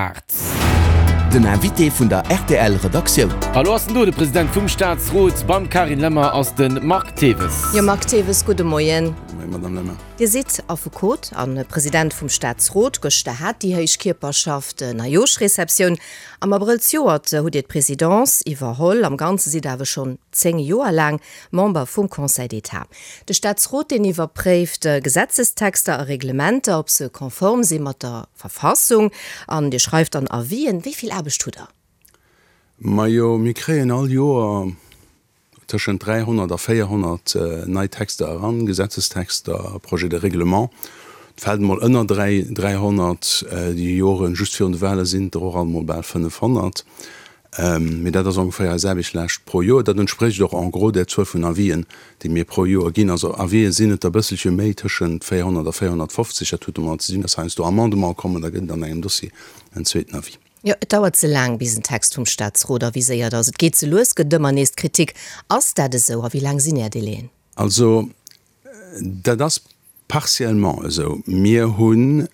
8. Den Invité vun der rtl Redaktioun. A lo ass en do, de President vum Staatsrot. Beim Carine Lemmer ass de Marc Thewes. Jo, Marc Thewes, gudde Moien. Gudde Moien, Madame Lemmer. Dir sidd Affekot a President vum Staatsrot. Gëschter hat déi héich Kierperschaft Neijooschreceptioun. Am Abrëll zejoert hutt Dir d'Presidence iwwerholl. Am Ganze sidd Der awer schonn 10 Joer laang Member vum Conseil d'État. De Staatsrot, deen iwwerpréift Gesetzestexter a Reglementer, ob se konform si mat der Verfassung. An Dir schreift dann Avisen. Wéi vill Aarbecht hutt Der? Majo, mir kréien all Joer tëschent 300 a 400 nei Texter eran, Gesetzestexter, Projets de règlement. Et fält emol ënner 300. Déi Joren just virun de Wale sinn et der och alt emol bal 500. Mee dat ass ongeféier eis Aarbechtslaascht pro Joer. Dat entsprécht och en gros där Zuel vun Avisen, déi mir pro Joer ginn. Also Avisen sinn et der e bësselche méi, tëschent 400 a 450. Dat huet domadder ze dinn, dass heiansdo Amendementen kommen, da gëtt et an engem Dossier en zweeten Avis. Jo, et dauert ze laang, bis en Text vum Staatsrot aviséiert ass. Et geet ze lues, gëtt ëmmer nees d'Kritik. Ass dat esou a wéi laang sinn Är Délaiën? Also dat ass Partiellement esou. Mir hunn,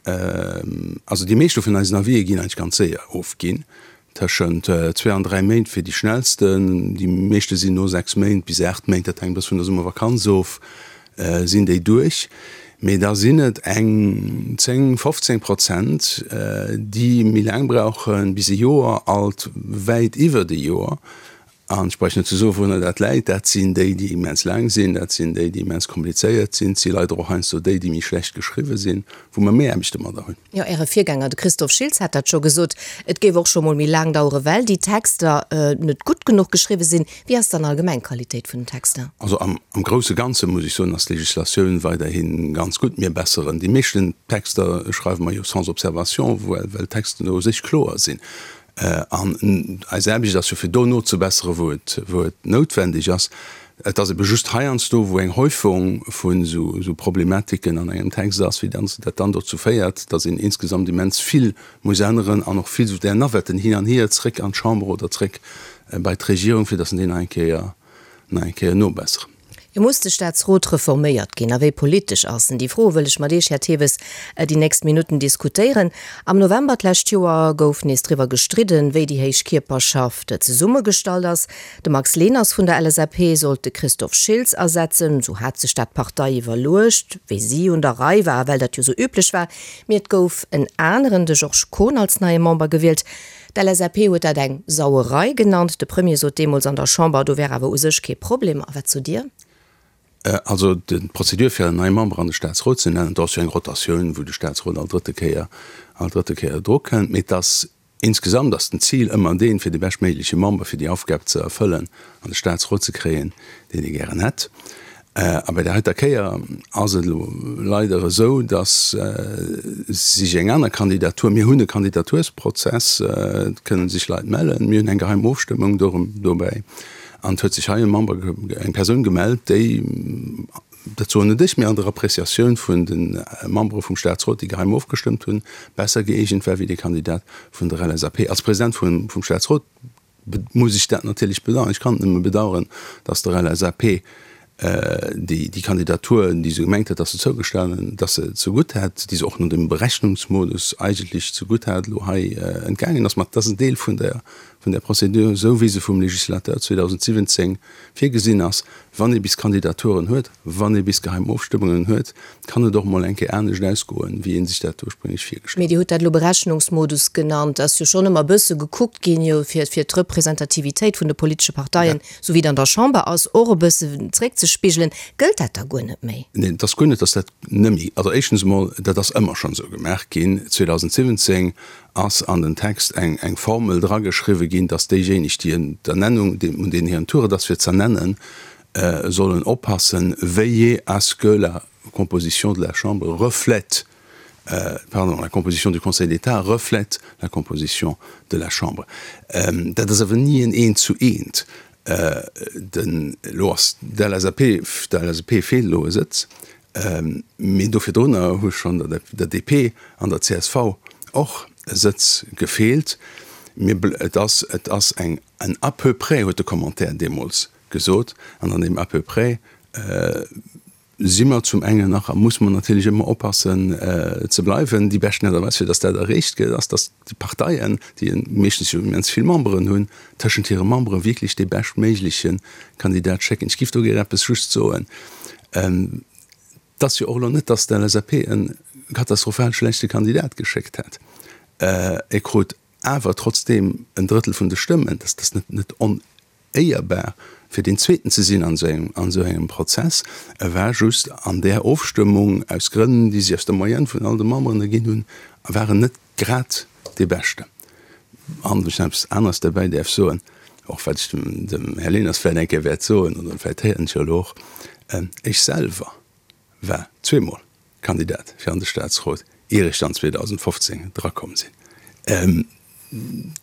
also déi meeschte vun eisen Avisë ginn eigentlech ganz séier ofginn, tëschent zwee an dräi Méint fir déi schnellsten. Déi meeschte sinn no sechs Méint bis aacht Méint, dat hänkt e bësse vun der Summervakanz of, sinn déi duerch. Mee da sinn et eng 10, 15 Prozent, déi méi laang brauchen, bis e Joer, alt wäit iwwert e Joer. An ech bräuch net ze soen, wourunner dat läit. Dat sinn déi, déi immens laang sinn, dat sinn déi, déi immens komplizéiert sinn. Et si leider och heiansdo déi, déi méi schlecht geschriwwe sinn, wou mer méi Aarbecht domadder hunn. Jo, Äre Virgänger, de Christophe Schiltz, hat dat scho gesot, et géif och scho mol méi laang dauere well déi Texter net gutt genuch geschriwwe sinn. Wéi ass dann allgemeng d'Qualitéit vun den Texter? Also am grousse Ganze muss ech soen, ass d'Legislatioun weiderhi ganz gutt. Mir besseren déi meeschten Texter, schreiwe mer jo sans observation, well d'Texten u sech kloer sinn. An eis Aarbecht ass jo fir do nozebesseren, wou et, wou et noutwendeg ass. Et ass ebe just heiansdo, wou eng Häufung vun esou Problematiken an engem Text ass, wéi dann dat dann dozou féiert, datt een insgesamt immens vill muss änneren an och vill esou där Navetten hin an hier, zréck an d'Chamber oder zréck bei d'Regierung, fir datt en déi nach eng Kéier, nach eng Kéier nobesseren. Jo, muss de Staatsrot reforméiert ginn? A wéi politesch ass en? Déi Froe wëll ech mat Iech, Här Theves, déi nächst Minutten diskutéieren. Am November d'lescht Joer gouf nees driwwer gestridden, wéi déi héich Kierperschaft zesummegestallt ass. De Max Leners vun der LSAP sollt de Christophe Schiltz ersetzen. Esou hat sech dat d'Partei iwwerluecht, wéi si un der Rei war a well dat jo esou üblech war. Mee et gouf en aneren, de Georges Kohn, als neie Member gewielt. D'LSAP huet dat eng Sauerei genannt. De Premier sot deemools an der Chamber, do wär awer u sech kee Problem. A wat sot Dir? Also d'Prozedur fir en neie Member an de Staatsrot ze nennen, do ass jo eng Rotatioun, wou de Staatsrot all drëtte Kéier, all drëtte Kéier drukënnt. Mee et ass insgesamt ass den Zil ëmmer deen, fir de beschtméigleche Member fir déi Aufgab ze erfëllen, an de Staatsrot ze kréien, deen ee gären hätt. A bei där heiter Kéier ass et elo leider esou, datt sech eng aner Kandidatur, mir hunn e Kandidatursprozess, et kënne sech Leit mellen, mir hunn eng geheim Ofstëmmung dobäi, an et huet sech hei e Member, eng Persoun gemellt, déi, dat soen net ech, mee an der Appréciatioun vun de Membere vum Staatsrot, déi geheim ofgestëmmt hunn, besser gëeegent war wéi de Kandidat vun der LSAP. Als President vum Staatsrot muss ech dat natierlech bedauern. Ech kann et nëmme bedauern, dass der LSAP déi Kandidatur, déi se gemengt hat, dass se zougestanen, dass se zegutt hätt, déi se och no dem Berechnungsmodus eigentlech zegutt hat, elo hei entgaangen ass. Mä dat ass en Deel vun der, vun der Procédure, esou wéi se vum Législateur 2017 virgesinn ass. Wann ee bis Kandidaturen huet, wann ee bis geheim Ofstëmmungen huet, kann et och mol eng Kéier anescht ausgoen, wéi ee sech dat ursprénglech virgestallt Mee Dir hutt dat elo Berechnungsmodus genannt. Ass jo schonn ëmmer e bësse gekuckt ginn, jo fir fir d'Representativitéit vun de politesche Parteien, esou wéi et an der Chamber ass, och e bësse zréckzespigelen. Gëllt dat da guer net méi? Neen, et ass guer net, datt dat net méi, also éischtens emol, dat ass ëmmer schonn esou gemaach ginn. 2017 ass an den Text eng eng Formel drageschriwwen ginn, dass déijéineg, déi en d'Ernennung, un deenen hiren Tour et ass fir z'ernennen, sollen oppassen, veiller à ce que la composition de la Chambre reflète, pardon, la composition du Conseil d'État reflète la composition de la Chambre. Dat ass awer ni en Eent zu Eent. Den, elo ass der LSAP, der LSAP feelt elo e Sëtz, Mee do virdrunner hu schonn der DP an der csv och Sëtz gefeelt. Mee et ass, et ass eng, en à peu près, huet de Commentaire deemools gesot. An an deem à peu près. si mer zum engen nach a muss mer natierlech ëmmer oppassen ze bleiwen. Déi beschten Aart a Weis fir datt dat erreecht gëtt, ass, datt déi Parteien, déi meeschtens jo immens vill Memberen hunn, tëschent hire Membere wierklech dee beschtméigleche Kandidat schécken. Ech géif do gär eppes just soen. Et ass jo och elo net, datt d'LSAP e katastrophal schlechte Kandidat geschéckt hätt. E krut awer trotzdeem en Drëttel vun de Stëmmen. Dat ass net onéierbar, fir deen Zweeten ze sinn an esou engem Prozess. E war just an där Ofstëmmung, aus Grënn, déi sech aus der Moyenne vun all de Memberen erginn hunn, war en net grad dee Beschten. An, wann ech nach eppes aneres derbäi däerf soen, och wat ech dem Här Leners vläicht eng Kéier wäert soen, oder vläicht héiert en et jo elo och, Ech selwer war zweemol Kandidat fir an de Staatsrot, ier ech dann 2015 drakomm sinn.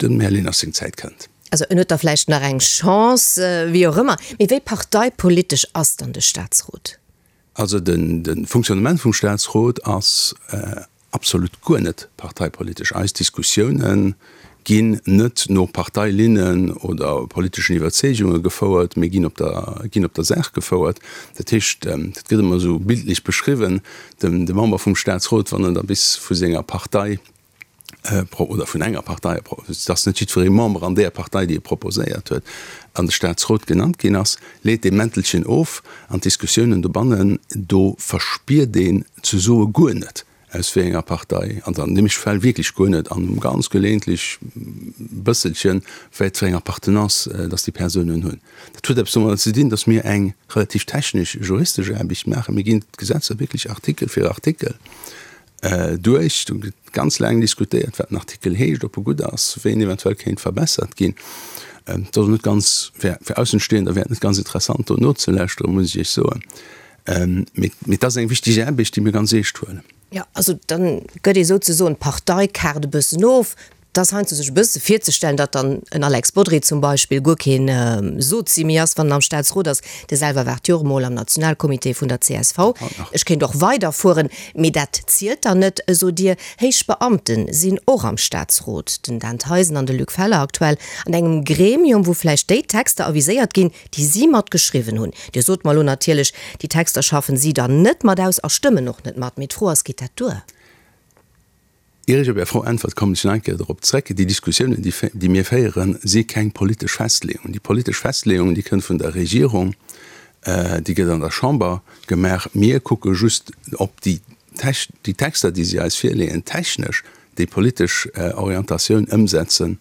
Dem Här Leners seng Zäit kënnt. Also en huet da vläicht nach eng Chance, wéi och ëmmer. Mee wéi parteipolitesch ass dann de Staatsrot? Also de Fonctionnement vum Staatsrot ass absolut guer net parteipolitesch. Eis Diskussiounen ginn net no Parteilinnen oder politeschen Iwwerzeegunge gefouert, mee ginn op der, ginn op der Saach gefouert. Dat heescht, dat gëtt ëmmer esou bildlech beschriwwen, de Member vum Staatsrot, wann en da bis vu senger Partei oder vun enger Partei, et ass net jiddweree Member an där Partei, déi e proposéiert huet, an de Staatsrot genannt ginn ass, leet dee Mäntelchen of an d'Diskussiounen dobannen, do verspiert een ze soe guer net, aus wéi enger Partei, an an deem Fall wierklech guer net, an ganz geleeëntlech bësselchen, wat fir eng Appartenance dass déi Persounen hunn. Dat huet eppes domadder ze dinn, dass mir eng relativ technesch juristesch Aarbecht maachen. Mir ginn d'Gesetzer wierklech Artikel fir Artikel duerch. Do gëtt ganz laang diskutéiert, wat den Artikel heescht, ob e gutt ass, wéi en eventuell kéint verbessert ginn. Dat ass net ganz, fir Aussenstehender wär et net ganz interessant, do nozelauschteren, muss ech Iech soen. Mee et ass eng wichteg Aarbecht, déi mir ganz eescht huelen. Jo, also dann gëtt ee souzesoen d'Parteikaart e bëssen of. Et ass heiansdo sech e bësse virzestellen, datt dann en Alex Bodry zum Beispill guer keen Sozi méi ass, wann en am Staatsrot ass. Dee selwer waart jo och emol am Nationalcomité vun der csv. Ech kéint och weiderfueren, mee dat zielt dann net, sot Dir. Héich Beamte sinn och am Staatsrot, den Dan Theisen an de Luc Feller aktuell, an engem Gremium, wou vläicht déi Texter aviséiert ginn, déi si mat geschriwwen hunn. Dir sot mer elo natierlech, déi Texter schaffen si dann net mat aus a stëmmen och net mat. Mee d'Fro ass, Geet dat duer? Ier ech op Är Fro äntwert, kommen ech nach eng Kéier dorop zréck, Déi Diskussiounen, déi mir féieren, si keng politesch Festleeung. Déi politesch Festleeung, déi kënnt vun der Regierung, déi gëtt an der Chamber gemaach. Mir kucke just, ob déi Texter, déi si eis virleeën, technesch déi politesch Orientatioun ëmsetzen,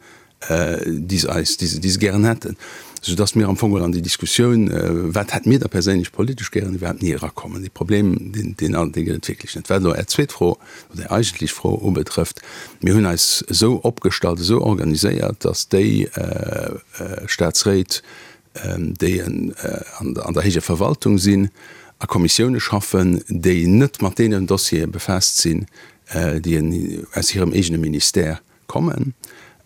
déi se eis, déi se, déi se gären hätten, soudass mir am Fong geholl an déi Diskussioun, wat hätte mir da perséinlech politesch gären, iwwerhaapt ni erakommen. Dee Problem, deen, deen, dee gëtt et wierklech net. Wat elo Är zweet Fro oder Är eigentlech Fro ubetrëfft, Mir hunn eis esou opgestallt, esou organiséiert, dass déi Staatsréit, déi an der héijer Verwaltung sinn, a Kommissioune schaffen, déi net mat deenen Dossiere befaasst sinn, déi aus hirem eegene Ministère kommen.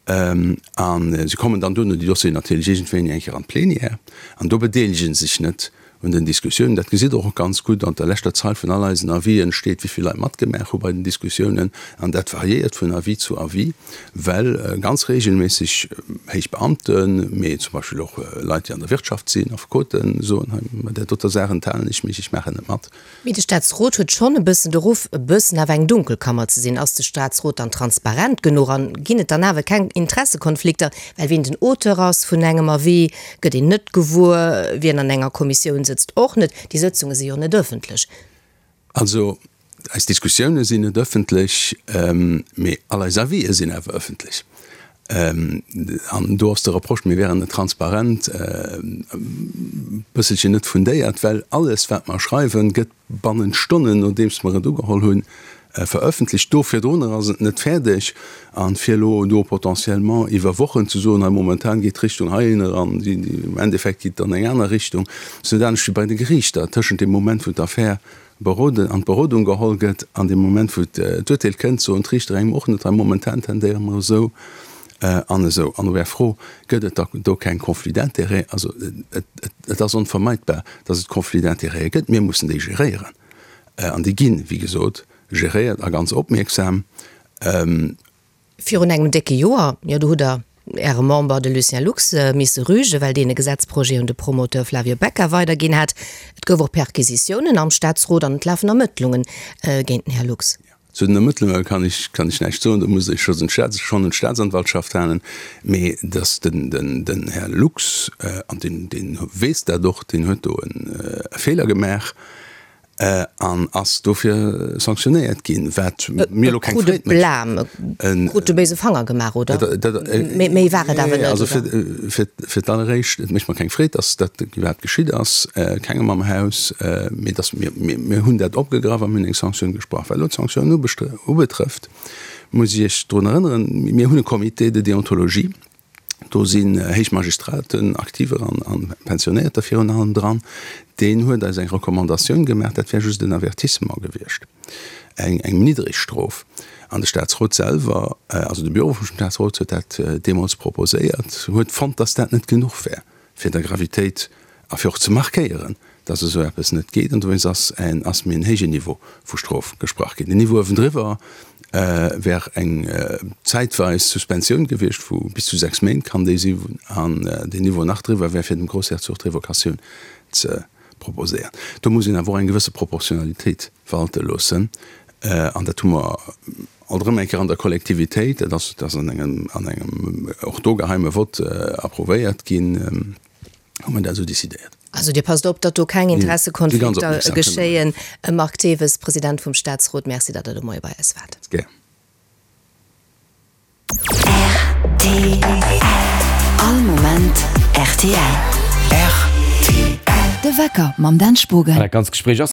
A se kommen dann duerno, déi Dossieren natierlech, iergendwéini eng Kéier an d'Plenière an do bedeelege se sech net un den Diskussiounen. Dat gesitt Der och ganz gutt an der leschter Zeil vun all eisen Avisen steet, wéi vill Leit matgemaach hu bei den Diskussiounen. An dat variéiert vun Avis zu Avis, well ganz reegelméisseg héich Beamten, mee zum Beispill och Leit, déi an der Wirtschaft sinn, Affekoten, soen, hei bei där doter Saach enthalen ech mech, ech maachen net mat. Mee de Staatsrot huet schonn e bëssen de Ruff, e bëssen awer eng Dunkelkammer ze sinn. Ass de Staatsrot dann transparent genuch an ginn et dann awer keng Interessekonflikter? Well wien den Auteur ass vun engem Avis, gëtt een net gewuer, wien an enger Kommissioun sëtzt och net. Déi Sëtzunge si jo net ëffentlech. Also eis Diskussioune sinn net ëffentlech, mee all eis Avisë sinn awer ëffentlech. An do ass de Reproche, mir wären net transparent, e bësselchen net fundéiert, well alles, wat mer schreiwen, gëtt bannent Stonnen, nodeems mer et ugeholl hunn, verëffentlecht. Do virdrunner ass et net fäerdeg. A fir elo do potentiellement iwwer Wochen ze soen, hei momentan geet d'Richtung heihinner an im Endeffekt geet et an eng aner Richtung, ass net anescht wéi bei de Geriichter, tëschent deem Moment, wou d'Affär Beroden, an d'Berodung geholl gëtt, an deem Moment wou d'Urteel kënnt, soen d'Riichter engem och net, hei momentan tendéiere mer esou an esou. An op Är Fro, gëtt et da do keng Conflits d'intérêts? Also et ass onvermeidbar, datt et Conflits d'intérêts gëtt. Mir mussen déi geréieren an déi ginn, wéi gesot, geréiert a ganz opmierksam. Virun engem décke Joer, jo do hutt Der. Äre Member, de Lucien Lux, misse rügen, well deen e Gesetzprojet un de Promoteur Flavio Becca weiderginn hat. Et gouf och Perquisitiounen am Staatsrot an et lafen Ermëttlungen géint den Här Lux. Zu den Ermëttlunge kann ech kann ech näischt soen, do muss ech schonn un d'Staatsanwaltschaft halen. Mee datt den den Här Lux, an deen deen weess dat och, deen huet do e Feeler gemaach an ass dofir sanktionéiert ginn, wat mir elo keng Freed mécht. E krut de béise Fanger gemaach, oder? Méi war et awer net, oder? Also fir fir d'alleréischt, et mécht mer keng Freed, datt dat iwwerhaapt geschitt ass, kengem am Haus, mee datt mir mir hunn dat opgegraff a mir hunn eng Sanktioun gesprach. Wat elo d'Sanktioun ubetrëfft, muss ech Iech drun erënneren, mir hunn e Comité de déontologie, Do sinn héich Magistraten, Aktiver an Pensionéierter virun allem dran. Deen huet eis eng Recommandatioun gemaach, dat wär just en Avertissement gewiescht, eng eng niddreg Strof. An de Staatsrot selwer, also de Büro vum Staatsrot huet dat deemools proposéiert, huet fonnt, datt dat net genuch wär, fir der Gravitéit a fir och ze markéieren, dass esou eppes net geet. An dowéinst ass en ass méi en héijen Niveau vu Strof gesprach ginn. Den Niveau uewendriwwer wär eng zäitweis Suspensioun gewiescht vu bis zu 6 Méint kann déi sinn, an den Niveau nach driwwer wär fir dem Groussherzog d'Revocatioun ze proposéieren. Do muss een awer och eng gewësse Proportionalitéit walte loossen, an dat hu mer alt erëm eng Kéier an der Kollektivitéit, dat ass dat ass an engem an engem och do geheime Vott approuvéiert ginn. hu mer dat esou decidéiert. Also Dir passt op, datt do keng Interessekonflikter geschéien. Marc Thewes, President vum Staatsrot, Merci, datt Der de Moie bei eis waart. Gär. Rtl. All Moment rtl. Rtl. De Wecker mam Dan Spogen. Dat ganzt Gespréich ass.